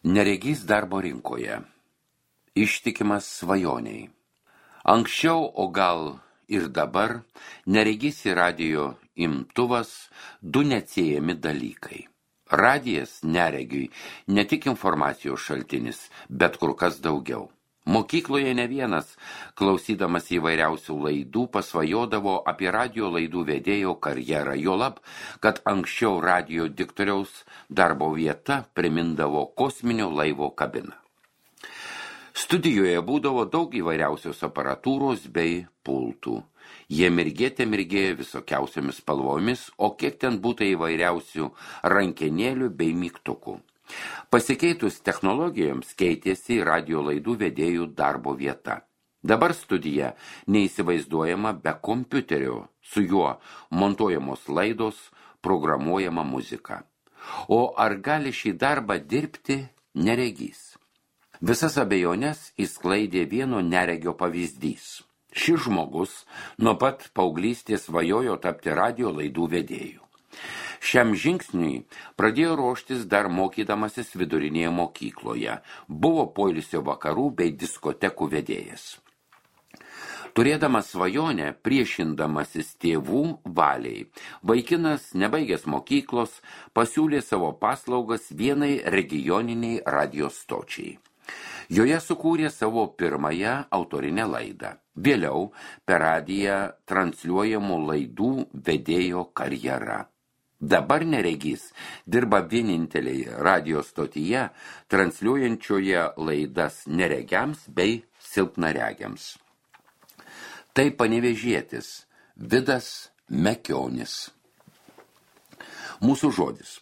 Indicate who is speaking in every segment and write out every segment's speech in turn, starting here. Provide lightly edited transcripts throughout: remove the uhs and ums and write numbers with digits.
Speaker 1: Neregys darbo rinkoje. Ištikimas svajoniai. Anksčiau, o gal ir dabar, neregys ir radijo imtuvas du neatsiejami dalykai. Radijas neregiui ne tik informacijos šaltinis, bet kur kas daugiau. Mokykloje ne vienas, klausydamas įvairiausių laidų, pasvajodavo apie radijo laidų vedėjo karjerą, juolab, kad anksčiau radijo diktoriaus darbo vieta primindavo kosminio laivo kabiną. Studijoje būdavo daug įvairiausios aparatūros bei pultų. Jie mirgėjo visokiausiomis spalvomis, o kiek ten būtų įvairiausių rankenėlių bei mygtukų. Pasikeitus technologijoms keitėsi radijo laidų vedėjų darbo vieta. Dabar studija neįsivaizduojama be kompiuterio, su juo montuojamos laidos, programuojama muzika. O ar gali šį darbą dirbti neregys? Visas abejonės išsklaidė vieno neregio pavyzdys. Šis žmogus nuo pat paauglystės svajojo tapti radijo laidų vedėju. Šiam žingsniui pradėjo ruoštis dar mokydamasis vidurinėje mokykloje. Buvo poilsio vakarų bei diskotekų vedėjas. Turėdamas svajonę, priešindamasis tėvų valiai, vaikinas, nebaigęs mokyklos, pasiūlė savo paslaugas vienai regioniniai radijo stočiai. Joje sukūrė savo pirmąją autorinę laidą. Vėliau per radiją transliuojamų laidų vedėjo karjera. Dabar neregys dirba vieninteliai radijo stotyje, transliuojančioje laidas neregiams bei silpnaregiams. Tai panevėžietis Vidas Mekionis. Mūsų žodis.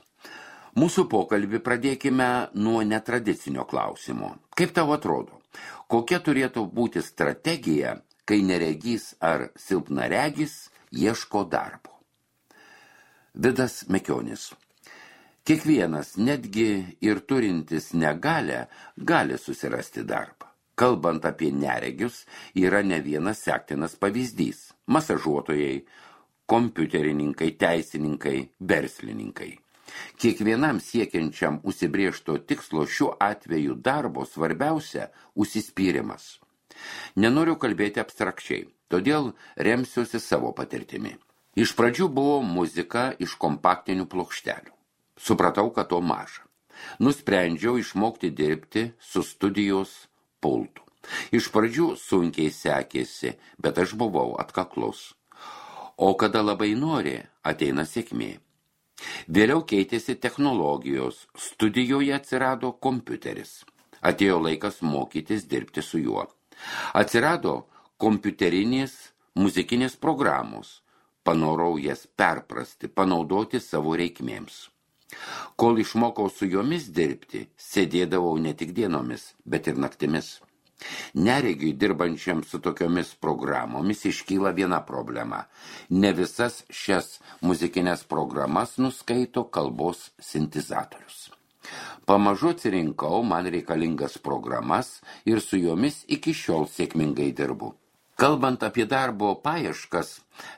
Speaker 1: Mūsų pokalbį pradėkime nuo netradicinio klausimo. Kaip tau atrodo, kokia turėtų būti strategija, kai neregys ar silpnaregis ieško darbo? Vidas Mekionis. Kiekvienas, netgi ir turintis negalią, gali susirasti darbą. Kalbant apie neregius, yra ne vienas sektinas pavyzdys. Masažuotojai, kompiuterininkai, teisininkai, verslininkai. Kiekvienam siekiančiam užsibrėžto tikslo šiuo atveju darbo svarbiausia užsispyrimas. Nenoriu kalbėti abstrakčiai, todėl remsiuosi savo patirtimi. Iš pradžių buvo muzika iš kompaktinių plokštelių. Supratau, kad to maža. Nusprendžiau išmokti dirbti su studijos pultu. Iš pradžių sunkiai sekėsi, bet aš buvau atkaklus. O kada labai nori, ateina sėkmė. Vėliau keitėsi technologijos, studijoje atsirado kompiuteris. Atėjo laikas mokytis dirbti su juo. Atsirado kompiuterinės muzikinės programos. Panorau jas perprasti, panaudoti savo reikmėms. Kol išmokau su jomis dirbti, sėdėdavau ne tik dienomis, bet ir naktimis. Neregiui dirbančiam su tokiomis programomis iškyla viena problema. Ne visas šias muzikinės programas nuskaito kalbos sintezatorius. Pamažu atsirinkau man reikalingas programas ir su jomis iki šiol sėkmingai dirbu. Kalbant apie darbo paieškas,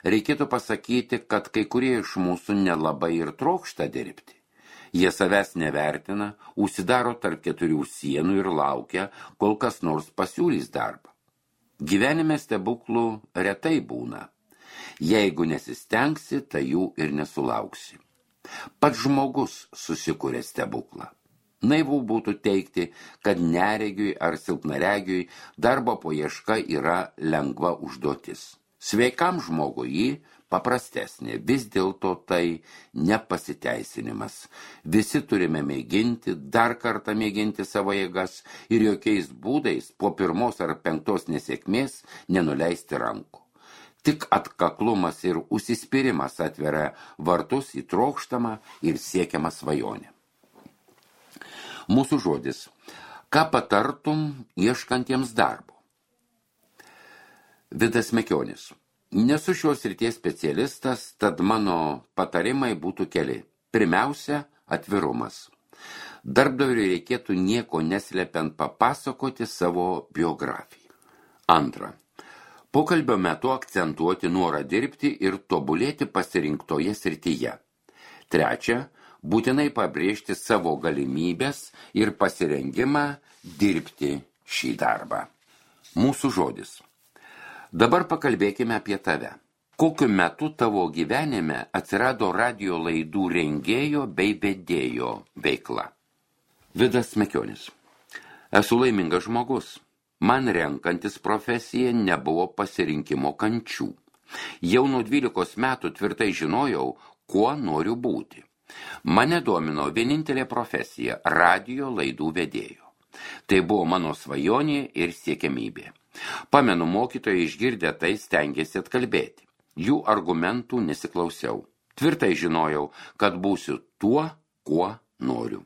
Speaker 1: reikėtų pasakyti, kad kai kurie iš mūsų nelabai ir trokšta dirbti. Jie savęs nevertina, užsidaro tarp keturių sienų ir laukia, kol kas nors pasiūlys darbą. Gyvenime stebuklų retai būna. Jeigu nesistengsi, tai jų ir nesulauksi. Pats žmogus susikuria stebuklą. Naivu būtų teigti, kad neregiui ar silpnaregiui darbo paieška yra lengva užduotis. Sveikam žmogui jį paprastesnė, vis dėlto tai nepasiteisinimas. Visi turime mėginti, dar kartą mėginti savo jėgas ir jokiais būdais po pirmos ar penktos nesėkmės nenuleisti rankų. Tik atkaklumas ir užsispyrimas atveria vartus į trokštamą ir siekiamą svajonę. Mūsų žodis. Ką patartum ieškantiems darbo? Vidas Mekionis. Nesu šios srities specialistas, tad mano patarimai būtų keli. Pirmiausia, atvirumas. Darbdaviui reikėtų nieko neslepiant papasakoti savo biografiją. Antra. Pokalbio metu akcentuoti norą dirbti ir tobulėti pasirinktoje srityje. Trečia. būtinai pabrėžti savo galimybės ir pasirengimą dirbti šį darbą. Mūsų žodis. Dabar pakalbėkime apie tave. Kokiu metu tavo gyvenime atsirado radijo laidų rengėjo bei vedėjo veikla? Vidas Mekionis. Esu laimingas žmogus. Man renkantis profesiją nebuvo pasirinkimo kančių. Jau nuo 12 metų tvirtai žinojau, kuo noriu būti. Mane domino vienintelė profesija – radijo laidų vedėjo. Tai buvo mano svajonė ir siekiamybė. Pamenu, mokytojai išgirdę tai stengėsi atkalbėti. Jų argumentų nesiklausiau. Tvirtai žinojau, kad būsiu tuo, kuo noriu.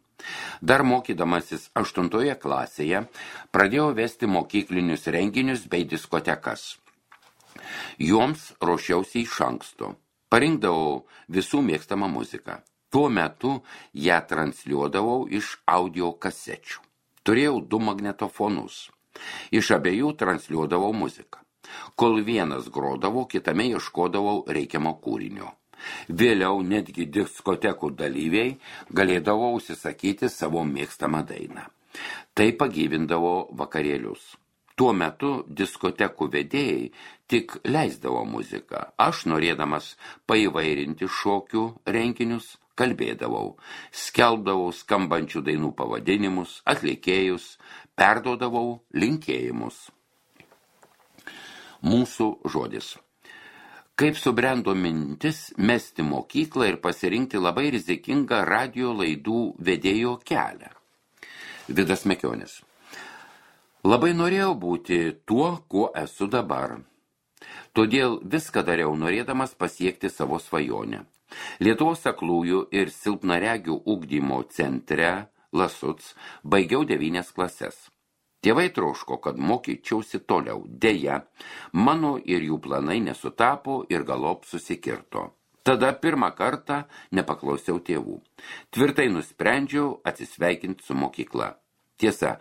Speaker 1: Dar mokydamasis 8 klasėje pradėjau vesti mokyklinius renginius bei diskotekas. Joms ruošiausi iš anksto. Parinkdavau visų mėgstamą muziką. Tuo metu ją transliuodavau iš audio kasečių. Turėjau 2 magnetofonus. Iš abiejų transliuodavau muziką. Kol vienas grodavo, kitame ieškodavau reikiamo kūrinio. Vėliau netgi diskotekų dalyviai galėdavo užsisakyti savo mėgstamą dainą. Tai pagyvindavo vakarėlius. Tuo metu diskotekų vedėjai tik leisdavo muziką. Aš, norėdamas paįvairinti šokių renginius, kalbėdavau, skelbdavau skambančių dainų pavadinimus, atlikėjus, perduodavau linkėjimus. Mūsų žodis. Kaip subrendo mintis mesti mokyklą ir pasirinkti labai rizikingą radijo laidų vedėjo kelią? Vidas Mekionis. Labai norėjau būti tuo, kuo esu dabar. Todėl viską dariau norėdamas pasiekti savo svajonę. Lietuvos aklųjų ir silpnaregių ugdymo centre Lasuc baigiau 9 klases. Tėvai troško, kad mokyčiausi toliau. Deja, mano ir jų planai nesutapo ir galop susikirto. Tada pirmą kartą nepaklausiau tėvų. Tvirtai nusprendžiau atsisveikinti su mokykla. Tiesa,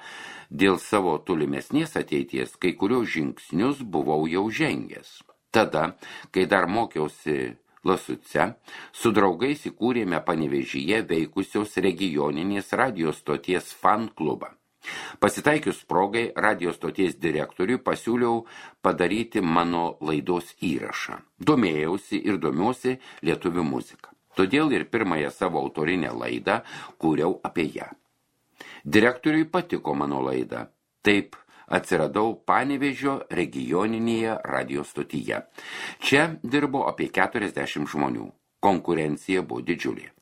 Speaker 1: dėl savo tolimesnės ateities kai kurios žingsnius buvau jau žengęs. Tada, kai dar mokiausi Lasuce, su draugais įkūrėme Panevėžyje veikusios regioninės radijo stoties fan klubą. Pasitaikius progai radijo stoties direktoriui pasiūliau padaryti mano laidos įrašą. Domėjausi ir domiuosi lietuvių muziką. Todėl ir pirmąją savo autorinę laidą kūriau apie ją. Direktoriui patiko mano laida. Taip atsiradau Panevėžio regioninėje radijo stotyje. Čia dirbo apie 40 žmonių. Konkurencija buvo didžiulė.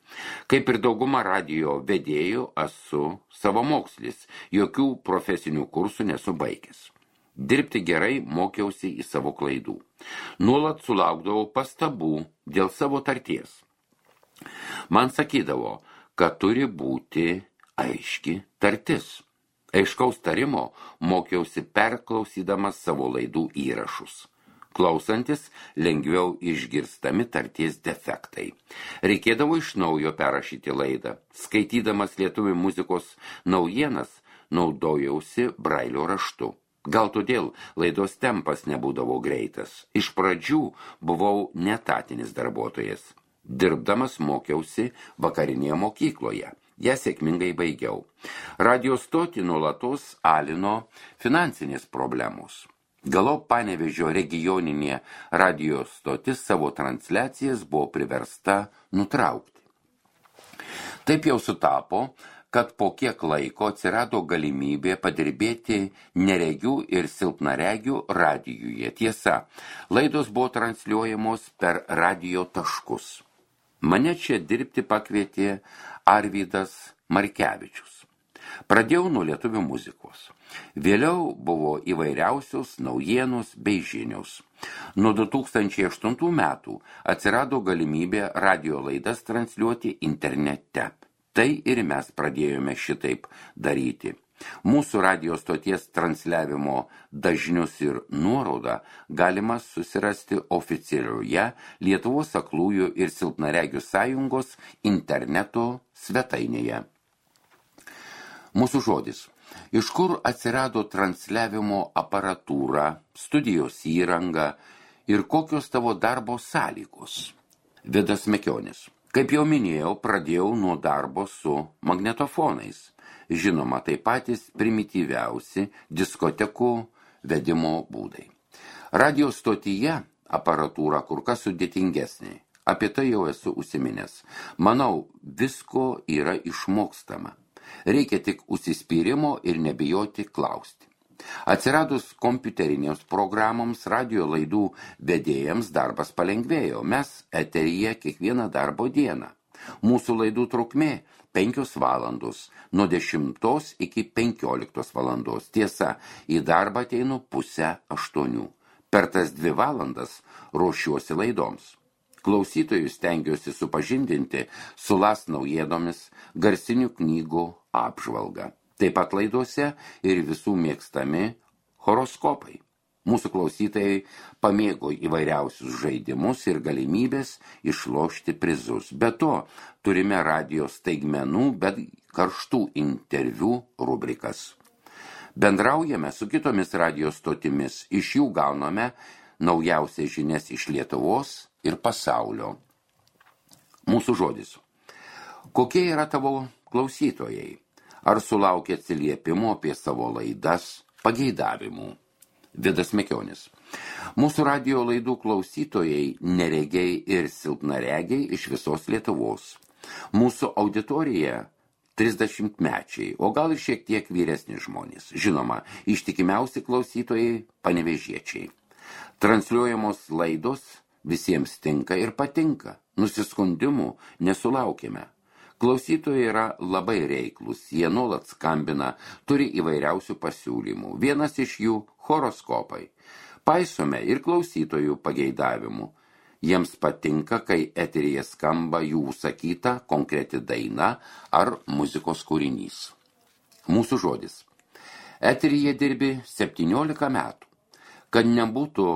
Speaker 1: Kaip ir dauguma radijo vedėjų, esu savamokslis, jokių profesinių kursų nesu baigęs. Dirbti gerai mokiausi į savo klaidų. Nuolat sulaukdavau pastabų dėl savo tarties. Man sakydavo, kad turi būti aiški tartis. Aiškaus tarimo mokiausi perklausydamas savo laidų įrašus. Klausantis, lengviau išgirstami tarties defektai. Reikėdavo iš naujo perrašyti laidą. Skaitydamas lietuvių muzikos naujienas, naudojausi brailio raštu. Gal todėl laidos tempas nebūdavo greitas. Iš pradžių buvau netatinis darbuotojas. Dirbdamas mokiausi vakarinėje mokykloje. Ją sėkmingai baigiau. Radio stotį nuolatos alino finansinės problemos. Galop Panevėžio regioninė radijo stotis savo transliacijas buvo priversta nutraukti. Taip jau sutapo, kad po kiek laiko atsirado galimybė padirbėti neregių ir silpnaregių radijuje. Tiesa, laidos buvo transliuojamos per radijo taškus. Mane čia dirbti pakvietė Arvydas Markevičius. Pradėjau nuo lietuvių muzikos. Vėliau buvo įvairiausios naujienos bei žinios. Nuo 2008 metų atsirado galimybė radijo laidas transliuoti internete. Tai ir mes pradėjome šitaip daryti. Mūsų radijo stoties transliavimo dažnius ir nuorodą galima susirasti oficialioje Lietuvos aklųjų ir silpnaregių sąjungos interneto svetainėje. Mūsų žodis. Iš kur atsirado transliavimo aparatūra, studijos įranga ir kokios tavo darbo sąlygos? Vidas Mekionis. Kaip jau minėjau, pradėjau nuo darbo su magnetofonais. Žinoma, tai patys primityviausi diskotekų vedimo būdai. Radio stotyje aparatūra kur kas sudėtingesnė. Apie tai jau esu užsiminęs. Manau, visko yra išmokstama. Reikia tik užsispyrimo ir nebijoti klausti. Atsiradus kompiuterinėms programoms, radio laidų vedėjams darbas palengvėjo. Mes eteryje kiekvieną darbo dieną. Mūsų laidų trukmė 5 valandos, nuo 10 iki 15 valandos. Tiesa, į darbą ateinu 7:30. Per tas 2 valandas ruošiuosi laidoms. Klausytojus stengiuosi supažindinti su LAS naujienomis, garsinių knygų apžvalga. Taip pat laidose ir visų mėgstami horoskopai. Mūsų klausytojai pamėgo įvairiausius žaidimus ir galimybės išlošti prizus. Be to, turime radio staigmenų, bet karštų interviu rubrikas. Bendraujame su kitomis radio stotimis, iš jų gauname naujausias žinias iš Lietuvos ir pasaulio. Mūsų žodis. Kokie yra tavo klausytojai? Ar sulaukia atsiliepimų apie savo laidas, pageidavimų? Vidas Mekionis. Mūsų radio laidų klausytojai neregiai ir silpnaregiai iš visos Lietuvos. Mūsų auditorija 30-mečiai, o gal ir šiek tiek vyresni žmonės. Žinoma, ištikimiausi klausytojai panevėžiečiai. Transliuojamos laidos visiems tinka ir patinka. Nusiskundimų nesulaukime. Klausytojai yra labai reiklus, jie nuolat skambina, turi įvairiausių pasiūlymų. Vienas iš jų – horoskopai. Paisome ir klausytojų pageidavimų. Jiems patinka, kai eteryje skamba jų užsakyta konkreti daina ar muzikos kūrinys. Mūsų žodis. Eteryje dirbi 17 metų. Kad nebūtų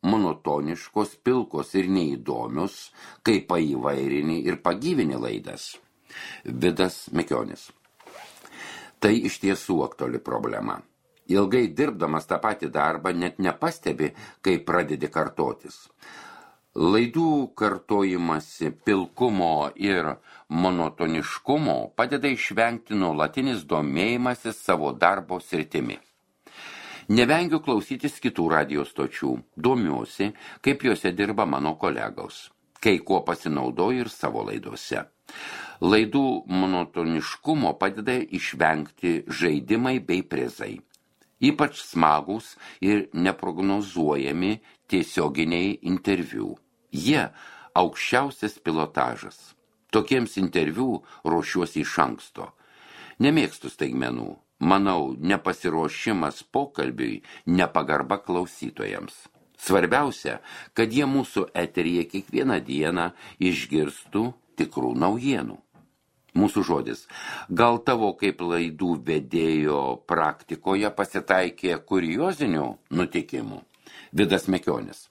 Speaker 1: monotoniškos, pilkos ir neįdomios, kai paįvairini ir pagyvini laidas. Vidas Mekionis. Tai iš tiesų aktuali problema. Ilgai dirbdamas tą patį darbą net nepastebi, kai pradedi kartotis. Laidų kartojimasi pilkumo ir monotoniškumo padeda išvengti nuolatinis domėjimasis savo darbo sritimi. Nevengiu klausytis kitų radio stočių, domiuosi, kaip juose dirba mano kolegos, kai kuo pasinaudoju ir savo laidose. Laidų monotoniškumo padeda išvengti žaidimai bei prizai. Ypač smagus ir neprognozuojami tiesioginiai interviu. Jie aukščiausias pilotažas. Tokiems interviu ruošiuosi iš anksto. Nemėgstu staigmenų. Manau, nepasiruošimas pokalbiui, nepagarba klausytojams. Svarbiausia, kad jie mūsų eteryje kiekvieną dieną išgirstų tikrų naujienų. Mūsų žodis. Gal tavo kaip laidų vedėjo praktikoje pasitaikė kuriozinių nutikimų? Vidas Mekionis.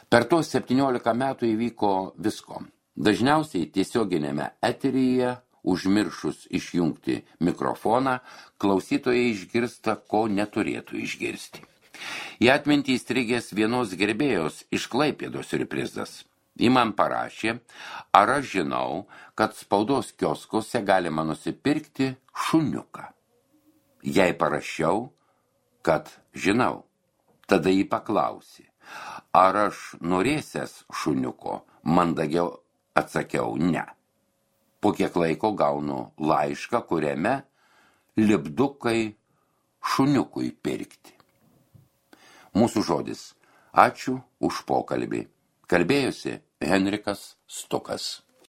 Speaker 1: Per tos 17 metų įvyko visko. Dažniausiai tiesioginėme eteryje, užmiršus išjungti mikrofoną, klausytojai išgirsta, ko neturėtų išgirsti. Į atmintį įstrigęs vienos gerbėjos iš Klaipėdos siurprizas. Ji man parašė, ar aš žinau, kad spaudos kioskuose galima nusipirkti šuniuką. Jei parašiau, kad žinau. Tada jį paklausė, ar aš norėsies šuniuko, mandagiau atsakiau ne. Po kiek laiko gaunu laišką, kuriame lipdukai šuniukui pirkti. Mūsų žodis. Ačiū už pokalbį. Kalbėjosi Henrikas Stukas.